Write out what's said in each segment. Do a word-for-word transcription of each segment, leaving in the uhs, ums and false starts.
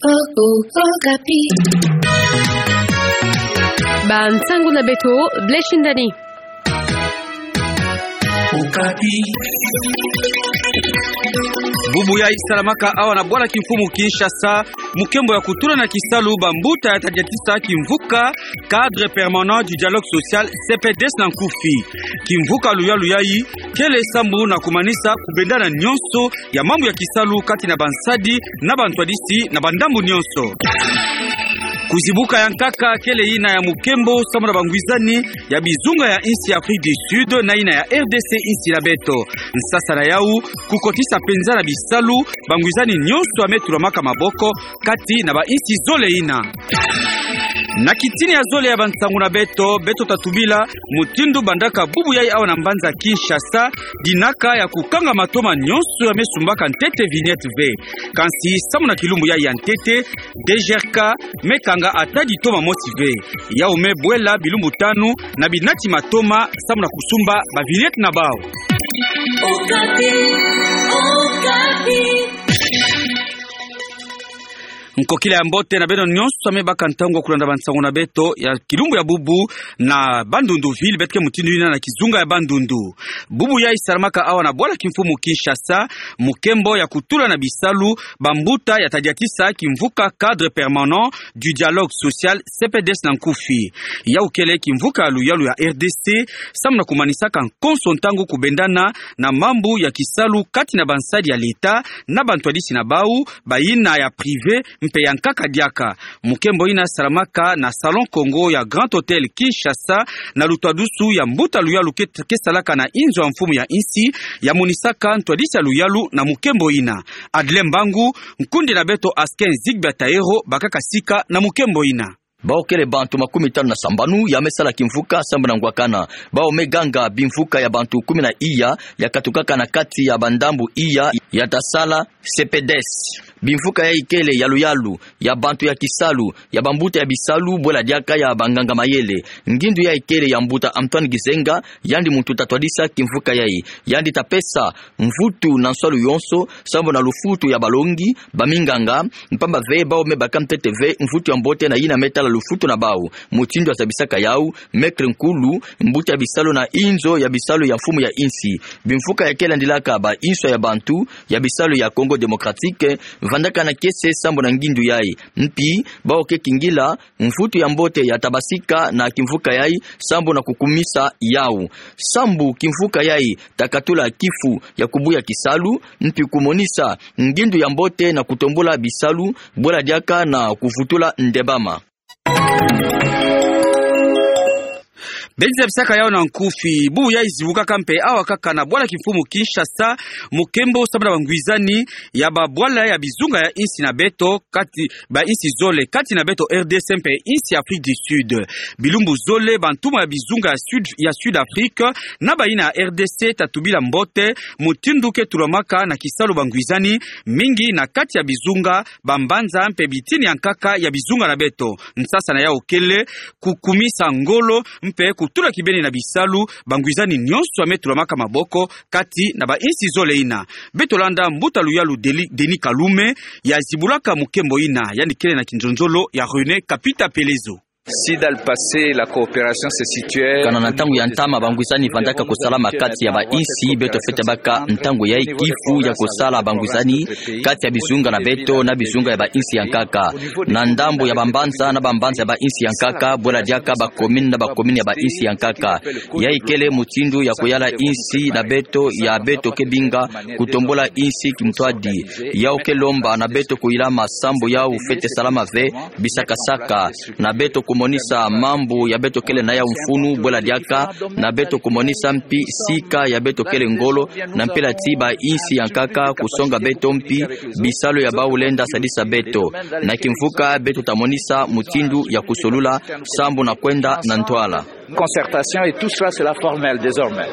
O, o, Okapi. Bansangu na beto, Blessing Dani. Okapi. Bubu yai salamaka awa na bwala kimfumu Kinshasa, mukembo ya kutula na kisalu bambuta ya tadiatisa kimvuka, Cadre permanent du dialogue social, C P D S na nkufi. Kimvuka luyalu yai kele sambu na kumanisa kubendana nyonso ya mambu ya kisalu kati na bansadi na bantwadisi na bandambu nyonso. Kuzibuka ya nkaka kele yina ya mukembo sambu na bangwizani ya bizunga ya insi ya Afrique du Sud na yina ya R D C insi na beto. Nsasa na yau, kukotisa penza na bisalu bangwizani nyonso ya me tulamaka maboko kati na bainsi zole yina. Na kitini ya zole ya bansangu na beto, beto tatubila mutindu bandaka bubu yai awa na mbanza Kinshasa dinaka ya kukanga matoma nyonso ya me sumbaka ntete vignette ve. Kansi sambu na kilumbu yai ya ntete, D G R K me kanga ata ditoma mosi ve. Yau me bwela bilumbu tanu na binati matoma sambu na kusumba bavignette na bau. Okapi, Okapi. Nkokila ya mbote na beno nyonso ya me baka ntangu ya kulanda bansangu na beto ya kilumbu ya bubu na Bandundu ville, beto ke mutindu yina na kizunga ya Bandundu. Bubu yai salamaka awa na bwala kimfumu Kinshasa, mukembo ya kutula na bisalu bambuta ya tadiatisa kimvuka Cadre permanent du dialogue social, C P D S na nkufi. Yau kele kimvuka ya luyalu ya R D C, sambu na kumanisaka konso ntangu kubendana na mambu ya kisalu kati na bansadi ya leta na bantwadisi na bau, bayina ya privé mpe ya nkaka diaka. Mukembo yina salamaka na Salon Congo ya Grand Hôtel Kinshasa, na lutwadusu ya mbuta luyalu ke, ke salaka na inzo ya mfumu ya insi, ya monisaka ntwadisi ya luyalu na mukembo yina. Adle Mbangu, nkundi na beto Asken Zigbia Taero, bakaka sika na mukembo yina. Bau kele bantu makumi tanu na sambanu ya me sala kimvuka sambu na ngwakana. Bau me ganga bimvuka ya bantu kumi na iya ya katukaka na kati ya bandambu iya ya ta sala C P D S. Bimvuka yai kele ya luyalu, ya bantu ya kisalu, ya bambuta ya bisalu, bwela diaka ya banganga mayele. Ngindu yai kele ya mbuta Antoine Gizenga, yandi muntu tatwadisa kimvuka yai. Yandi tapesa mvutu na nswalu yonso, sambu na lufutu ya balongi, baminganga, mpamba ve bau me baka ntete ve mvutu ya mbote na yina me tala lufutu na bau. Mutindu ya zabisaka yau, Maître Nkulu, mbuta ya bisalu na inzo ya bisalu ya mfumu ya insi. Bimvuka ya ke landilaka ba inswa ya bantu ya bisalu ya Congo Démocratique, vandaka na kiese sambu na ngindu yai. Mpi, bau ke kingila mvutu ya mbote ya tabasika na kimvuka yai, sambu na kukumisa yau. Sambu kimvuka yai ta katula kifu ya kubuya kisalu, mpi kumonisa ngindu ya mbote na kutombula bisalu, bwela diaka na kuvutula ndembama. Beno zabisaka yau na nkufi, bubu yai zibukaka mpe awa kaka na bwala kimfumu Kinshasa, mukembo sambu na bangwizani ya babwala ya bizunga ya insi na beto, kati bainsi zole, kati na beto R D C mpe insi Afrique du Sud. Bilumbu zole, bantumwa ya bizunga ya Sud, ya Sud Afrique, na bayina ya R D C tatubila mbote mutindu ke tulamaka na kisalu bangwizani, mingi na kati ya bizunga, bambanza mpe bitini ya nkaka ya bizunga na beto. Nsasa na yau kele kukumisa ngolo mpe kutula kibeni na bisalu bangwizani nyonso ya me tulamaka maboko kati na bainsi zole yina. Beto landa mbuta luyalu Deli-, Denis Kalume, ya zibulaka mukembo yina, yandi kele na kinzonzolo ya René Kapita Pelezo. Si dans le passé, la coopération se situait... Kana na ntangu ya ntama bangwizani vandaka kusalama kati ya bainsi, beto fwete baka ntangu yai kifu ya kusala bangwizani kati ya bizunga na beto na bizunga ya bainsi ya nkaka. Na ndambu ya bambanza na bambanza ya bainsi ya nkaka, bwela diaka bacommune na bacommune ya bainsi ya nkaka. Yai kele mutindu ya kuyala insi na beto, ya beto ke binga kutombula insi kimtwadi. Yau ke lomba na beto kuyilama sambu yau fwete salama ve bisakasaka, na beto kumonisa mambu ya beto kele na yau mfunu, bwela diaka na beto kumonisa mpi sika ya beto kele ngolo, na mpila ti bainsi ya nkaka kusonga beto mpi bisalu ya bau lenda sadisa beto. Na kimvuka beto tamonisa mutindu ya kusolula sambu na kwenda na ntwala. Concertation et tout cela, c'est la formelle désormais.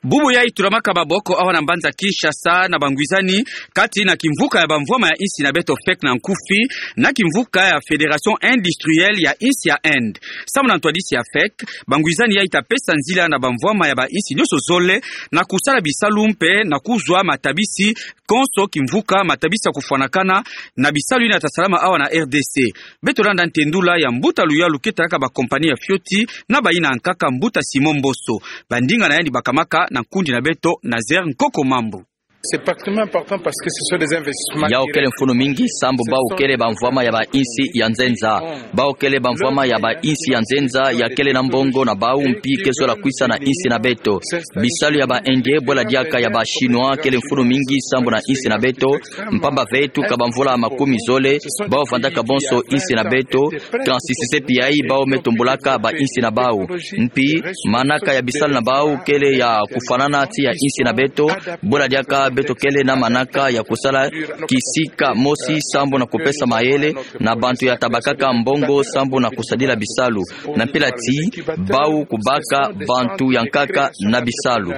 Bubu yai tulamaka maboko awa na mbanza Kinshasa na bangwizani kati na kimvuka ya bamvwama ya insi na beto fek na nkufi, na kimvuka ya Fédération Industrielle ya insi ya Inde. Samu na ntwadisi ya fek, bangwizani yai ta pesa nzila na bamvwama ya ba insi nionso zole na kusala bisalu mpe na kuzwa matabisi konso kimvuka matabisi ya kufwanakana na bisalu yina ta salama awa na R D C. Beto landa ntendula ya mbuta luyalu ke talaka ba compagnie ya fioti na bayina nkaka, mbuta Simon Mboso. Bandinga na yandi bakamaka na nkundi na beto Nazaire Nkoko Mambu. C'est particulièrement important parce que ce sont des investissements. Yau kele mfunu mingi sambu bau kele bamvwama ya ba insi ya nzenza. Bau kele bamvwama ya ba insi ya nzenza ya kele na mbongo na bau mpi ke zola kwisa na insi na beto. Bisalu ya ba Indien, bwela diaka ya ba Chinois, kele mfunu mingi sambu na insi na beto, mpamba ve tuka bamvula makumi zole, bau vandaka bonso insi na beto, kansi sise pi yai bau me tombulaka ba insi na bau. Mpi manaka ya bisalu na bau kele ya kufwanana ti ya insi na beto, bwela diaka beto kele na manaka ya kusala kisika mosi sambu na kupesa mayele na bantu ya ta bakaka mbongo sambu na kusadila bisalu. Na mpila ti bau kubaka bantu ya nkaka na bisalu.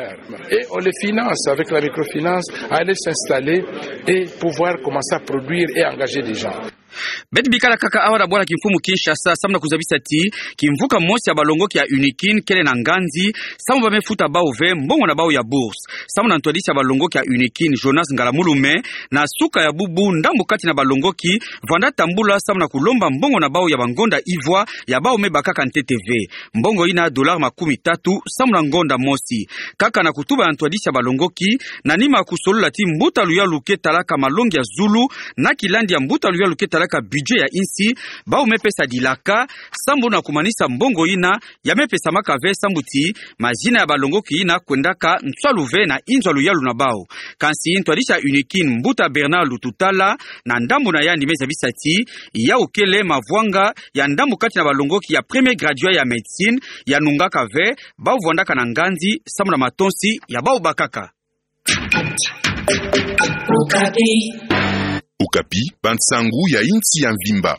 Et on les finance avec la microfinance à aller s'installer et pouvoir commencer à produire et engager des gens. Beto bikala kaka awa na bwala kimfumu Kinshasa, samu na kuzabisa ti kimvuka mosi ya balongoki ya Unikin kele na nganzi, samu ba me futa bau ve mbongo na bau ya bourse. Samu na ntwadisi ya balongoki ya Unikin, Jonas Ngalamulume, na suka ya bubu, ndambu kati na balongoki vanda tambula samu na kulomba mbongo na bau ya bangonda ivwa ya bau me bakaka ntete ve. Mbongo yina dollar makumi tatu samu na ngonda mosi. Kaka na kutuba ya ntwadisi ya balongoki, na nima kusolola ti mbuta luyalu ke talaka malongi ya zulu na kilandi ya mbuta luyalu ke talaka budget ya insi, bau me pesa dilaka sambu na kumanisa mbongo yina ya me pesamaka ve, sambu ti mazina ya balongoki yina kwendaka nswalu ve na inzo ya luyalu na bau. Kansi ntwadisi ya Unikin, mbuta Bernard Lututala, na ndambu na yandi me zabisa ti yau kele mavwanga ya ndambu kati na balongoki ya premier graduat ya médecine ya nungaka ve bau vwandaka na nganzi samu na matonsi ya bau bakaka. Okapi, bansangu ya insi ya mvimba.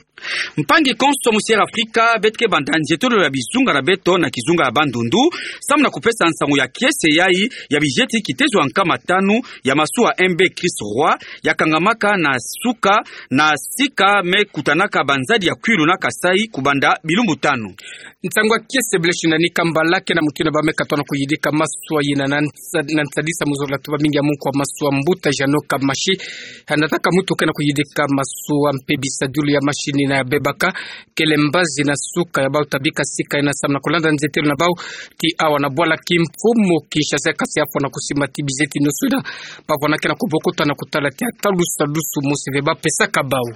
Mpangi konso mu Sierra Afrika, beto ke banda nzietolo ya bizunga na beto na kizunga ya Bandundu, samu na kupesa nsangu ya kiese yai ya bizeti kitezo ya nkama tanu ya masuwa M B Christ Roi, ya kangamaka na suka na sika me kutanaka banzadi ya Kwilu na Kasaï kubanda bilumbu tanu. Nsangu ya kiese Blaise Nani Kambala ke na mutu yina ba me katoa na kuyidika masuwa yina na nsa-, na nsadisa mu zola tuba mingi ya munku wa masuwa, mbuta Jeannot Kamashi, hanataka mutu ke na kuyidika masuwa mpe bisadulu ya mashini yina ya bebaka, kele mbazi na suka ya bau ta bika sika yina samu na kulanda nzietolo na bau ti awa na bwala kimfumu Kinshasa, kasi afwa na kusimba ti bizeti nionso yina ba vwandaka na kubokota na kutala ti atalusalusu mosi ve ba pesaka bau.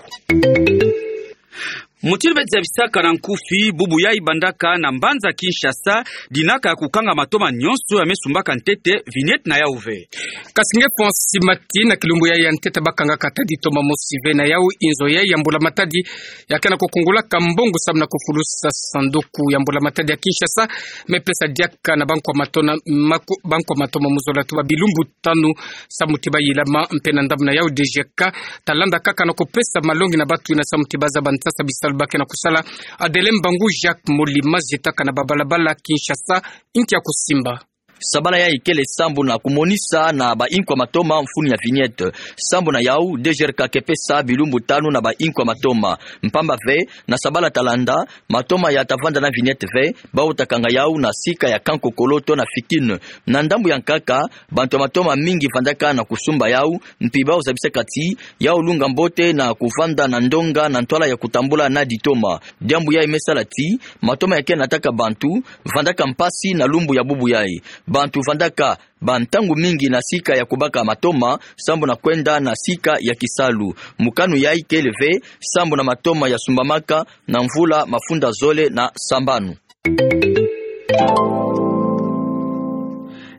Mutindu beto zabisaka na nkufi, bubu yai bandaka na mbanza Kinshasa dinaka ya kukanga matoma nionso ya me sumbaka ntete vignette na yau ve. Kasi nge fwa nsimati na kilumbu yai ya ntete ba kangaka ata ditoma mosi ve. Na yau, inzo yai ya mbula matadi ya ke na kukungulaka mbongo samu na kufulusa sanduku ya mbula matadi ya Kinshasa me pesa diaka na banko ya matona, mako-, banko ya matoma mu zola tuba bilumbu tanu samu ti ba yilama. Mpe na ndambu na yau, D G K ta landa kaka na kupesa malongi na batu yina samu ti ba zaba nsasa bisalu ba ke na kusala. Adelin Mbangu Jacques Molima zietaka na babalabala Kinshasa, inki ya kusimba. Sabala yai kele sambu na kumonisa na bainko ya matoma mfunu ya vignette. Sambu na yau, D G R K ke pesa bilumbu tanu na bainko ya matoma. Mpamba ve, na sabala ta landa, matoma ya ta vanda na vignette ve, bau ta kanga yau na sika ya Kankokolo to na Fikin. Na ndambu ya nkaka, bantu ya matoma mingi vandaka na kusumba yau, mpi bau zabisaka ti yau lunga mbote na kuvanda na ndonga na ntwala ya kutambula na ditoma. Diambu yai me sala ti matoma ya ke nataka bantu vandaka mpasi na lumbu ya bubu yai. Bantu vandaka bantangu mingi na sika ya kubaka matoma, sambu na kwenda na sika ya kisalu. Mokano yai kele ve sambu na matoma ya sumbamaka na mvula mafunda zole na sambanu.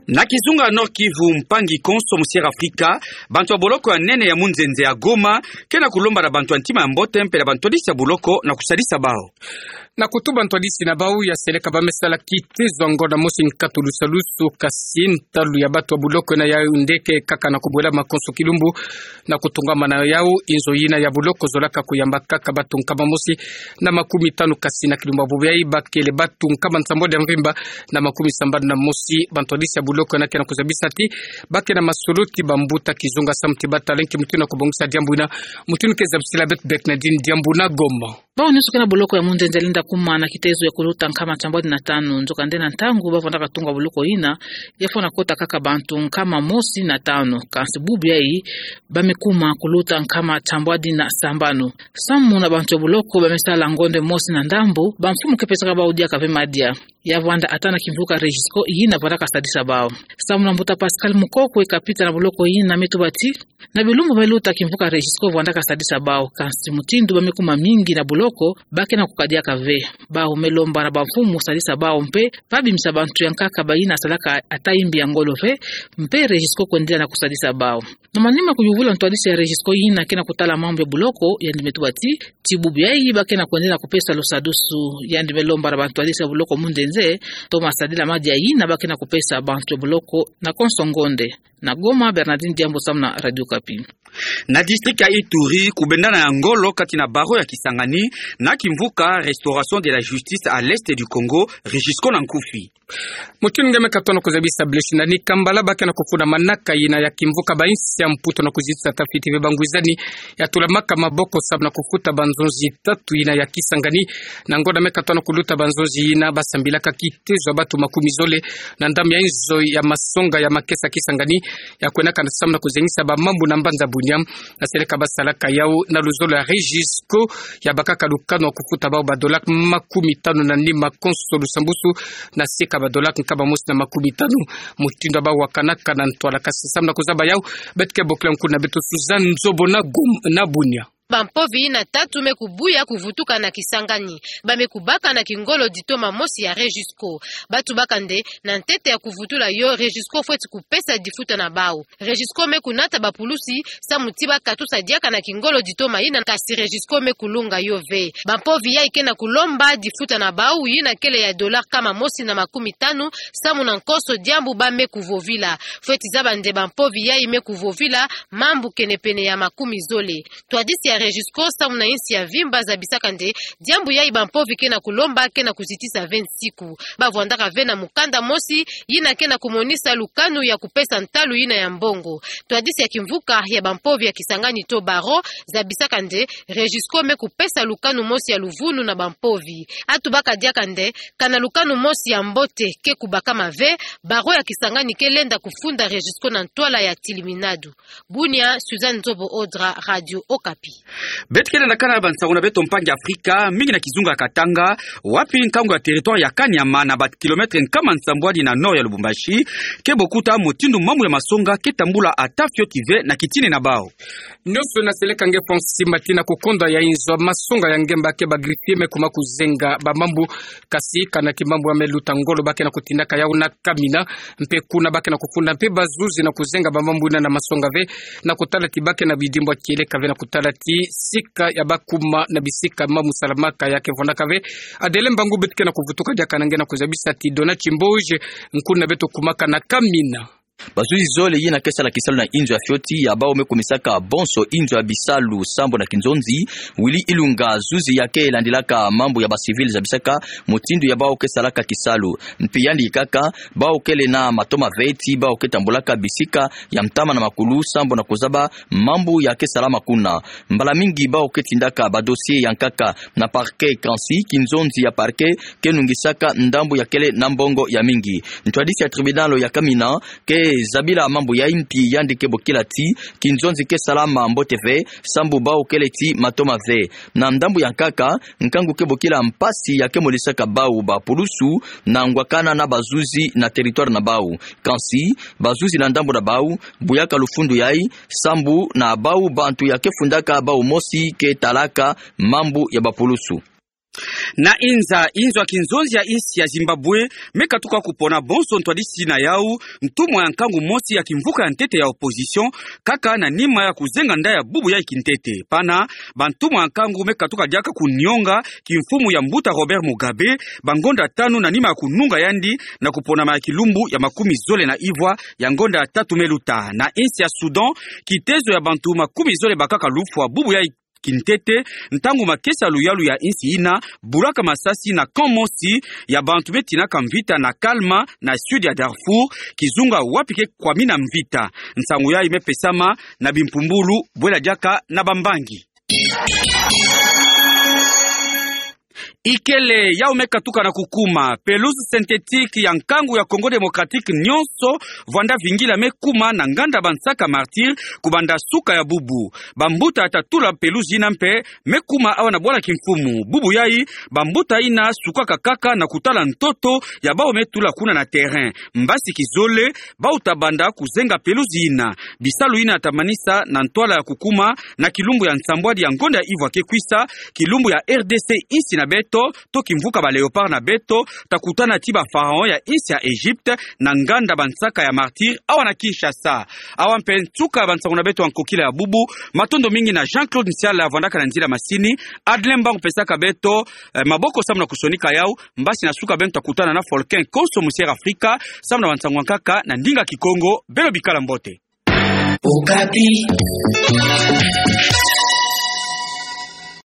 Na kizunga Nord-Kivu, mpangi konso mu Sierra Afrika, bantu ya boloko ya nene ya munzenze ya Goma ke na kulomba na bantu ya ntima ya mbote mpe na bantwadisi ya boloko na kusadisa bau. Na kutuba ntwadisi na bau ya seleka ba me sala kitezo ya ngonda mosi nkatu lusalusu, kasi ntalu ya batu ya buloko ina ya Yaoundé ke kaka na kubwela makonso kilumbu na kutungamana yau. Inzo ina ya buloko zolaka kuyamba kaka batu nkama mosi na makumi tanu, kasi na kilumbu ya bubu yayi bakele batu nkama nsambwadi ya mvimba na makumi sambanu na mosi. Ba ntwadisi ya buloko ina ke na kuzabisa ti ba ke na masolo ti bambuta kizunga samu ti batala nki mutindu na kubongisa diambu ina. Mutindu ke zabisila beto Bernadine Diambu na Goma. Bau nyonso ke na buloko ya Munzenze lenda kuma na kitezo ya kuluta nkama nsambwadi na tanu. Nzokande na ntangu ba vandaka tunga buloko ina, ya fwana kota kaka bantu nkama mosi na tanu. Kasi bubu yayi ba me kuma kuluta nkama nsambwadi na sambanu. Samu na bantu ya buloko ba me sala ngonda mosi na ndambu, bamfumu ke pesaka bau diaka ve madia. Ya vwanda ata na kimvuka Regisco ina vandaka sadisa bau. Samu na mbuta Pascal Mukoko, e kapita na buloko ina, me tuba ti na bilumbu me luta kimvuka Regisco vandaka sadisa bau, kasi mutindu ba me kuma mingi na buloko, ba ke na kukadiaka ve. Bau me lomba na bamfumu sadisa bau mpe ba bimisa bantu ya nkaka ba ina salaka ata imbi ya ngolo ve, mpe Regisco kwendela na kusadisa bau. Na manima kuyuvula ntwadisi ya Regisco ina ke na kutala mambu ya buloko, yandi me tuba ti ti bubu yayi ba ke na kwendela na kupesa lusadusu. Yandi me lomba na bantwadisi ya buloko Munzenze to masadila madia ina ba ke na kupesa bantu ya buloko na konso ngonda. Na Goma, Bernadine Diambu samu na Radio Okapi. Na district ya Ituri, kubendana ya ngolo kati na barreau ya Kisangani na kimvuka Restauration de la Justice à l'Est du Congo, Regisco na nkufi. Mutindu nge me katono kuzabisa bleshi na ni kambala ba ke na kufunda manaka ina ya kimvuka ba insi ya Mputu na kuzitisa tafiti ve bangwizani ya tulamaka maboko samu na kufuta banzonzi tatu ina ya Kisangani. Na ngonda me katono kuluta banzonzi ina, ba sambilaka kitezo ya batu makumi zole na ndambu ya inzo ya masonga ya makesa Kisangani, ya kwenaka na samu na kuzengisa bamambu na mbanza Bunia. Na seleka ba salaka yau na luzolo ya Regisco, ya bakaka lukanu ya kufuta bau ba dola makumi tanu na nima konso lusambusu, na sika ba dola nkama mosi na makumi tanu. Mutindu ya bau wakanaka na ntwala, kasi samu na kuzaba yau, beto ke bokila nkuna beto Suzanne Nzobo na Gom-, na Bunia. Bampovi ina tatu me kubuya kuvutuka na Kisangani. Ba me kubaka na kingolo ditoma mosi ya Regisco. Ba tubaka nde, na ntete ya kuvutula yo, Regisco fweti kupesa difuta na bau. Regisco me kunata bapulusi samu ti ba katusa diaka na kingolo ditoma ina, kasi Regisco me kulunga yo ve. Bampovi yayi ke na kulomba difuta na bau ina kele ya dola nkama mosi na makumi tanu, samu na nkoso diambu ba me kuvovila. Fweti zaba nde bampovi yayi me kuvovila mambu kenepene ya makumi zole. Ntwadisi ya Regisco samu na insi ya mvimba zabisaka nde diambu yayi bampovi ke na kulomba ke na kuzitisa ve nsiku. Ba vwandaka ve na mukanda mosi ina ke na kumonisa lukanu ya kupesa ntalu ina ya mbongo. Ntwadisi ya kimvuka ya bampovi ya Kisangani to barreau zabisaka nde Regisco me kupesa lukanu mosi ya luvunu na bampovi. A tubaka diaka nde, kana lukanu mosi ya mbote ke kubakama ve, barreau ya Kisangani ke lenda kufunda Regisco na ntwala ya tiliminadu. Bunia, Suzanne Nzobo Odra, Radio Okapi. Beto ke lenda kana bansangu na beto mpangi Afrika, mingi na kizunga Katanga, wapi nkangu ya territoire ya Kanyama na ba kilomètre nkama nsambwadi na nord ya Lubumbashi, ke bokuta mutindu mambu ya masonga ke tambula ata fioti ve na kitini na bau. Nyonso na seleka nge Fonsi Mati na kukonda ya inzo masonga ya ngemba ke ba greffier me kuma kuzenga bamambu, kasi kana kimambu ya me luta ngolo ba ke na kutindaka yau na Kamina, mpe kuna ba ke na kufunda mpe bazuzi na kuzenga bamambu ina na masonga ve, na kutala ti ba ke na bidimbu ya kieleka ve na kutala ti sika ya bakuma na bisika mambu salamaka ya ke vwandaka ve. Adele Mbangu beto ke na kuvutuka diaka na nge na kuzabisa ti Dona Chimboje, nkuna beto kumaka na Kamina. Bazuzi zole ina ke sala kisalu na inzo ya fioti ya bau me kumisaka bonso inzo ya bisalu sambo na kinzonzi. Willy Ilunga, zuzi ya ke landilaka mambu ya ba civil, zabisaka mutindu ya bau ke salaka kisalu. Mpi yandi kaka, bau kele na matoma ve ti bau ke tambulaka bisika ya ntama na makulu sambo na kuzaba mambu ya ke salama kuna. Mbala mingi bau ke tindaka ba dossier ya nkaka na parquet, kansi kinzonzi ya parquet ke nungisaka ndambu ya kele na mbongo ya mingi. Ntwadisi ya tribunal ya Kamina ke zabila mambu ya impi, yandi ke bokila ti kinzonzi ke salama mbote ve sambu bau kele ti matoma ve. Na ndambu ya nkaka, nkangu ke bokila mpasi ya ke molisaka bau bapulusu na ngwakana na bazuzi na territoire na bau. Kansi bazuzi na ndambu na bau buyaka lufundu yayi sambu na bau bantu ya ke fundaka bau mosi ke talaka mambu ya bapulusu. Na Inza, inzo ya kinzonzi ya insi ya Zimbabwe me katuka kupona bonso ntwadisi na yau ntumwa ya nkangu mosi ya kimvuka ya ntete ya opposition, kaka na nima ya kuzenga nda ya bubu yai kintete. Pana, bantumwa ya nkangu me katuka diaka kunionga kimfumu ya mbuta Robert Mugabe bangonda tanu na nima ya kununga yandi na kuponama ya kilumbu ya makumi zole na ivwa ya ngonda ya tatu me luta. Na insi ya Soudan, kitezo ya bantu makumi zole bakaka lufwa bubu yai kintete, ntangu makesa luyalu ya insi ina bulaka masasi na camp mosi ya bantu me tinaka mvita na Kalma, na sud ya Darfour, kizunga wapi ke kwamina mvita. Nsangu yai me pesama na bimpumbulu bwela diaka na bambangi. Ikele, yau me katuka na kukuma. Pelouse synthétique ya nkangu ya Congo Démocratique nyonso vwanda vingila me kuma na nganda Bansaka Martyrs kubanda suka ya bubu. Bambuta ya tatula pelouse ina mpe me kuma awa na bwala kimfumu. Bubu yai, bambuta ina sukaka kaka na kutala ntoto ya bau me tula kuna na terrain. Mbasi kizole, bau tabanda kuzenga pelouse ina. Bisalu ina tamanisa na ntwala ya kukuma na kilumbu ya nsambwadi ya ngonda ya ivwa ke kwisa, kilumbu ya R D C insi na beto, to kimvuka ba Léopards na beto, takutana ti ba Pharaons ya insi ya Egypte, na nganda Bansaka ya Martyrs, awa na Kinshasa. Awa mpe nsuka ya bansangu na beto ya nkokila ya bubu. Matondo mingi na Jean-Claude Nsiala vwandaka na nzila masini, Adrien Mbangu pesaka beto, eh, maboko samu na kusonika yau. Mbasi na suka beno takutana na Folkin Konso Musiere Afrika, samu na bansangu ya nkaka na ndinga Kikongo. Beno bikala mbote. Okapi.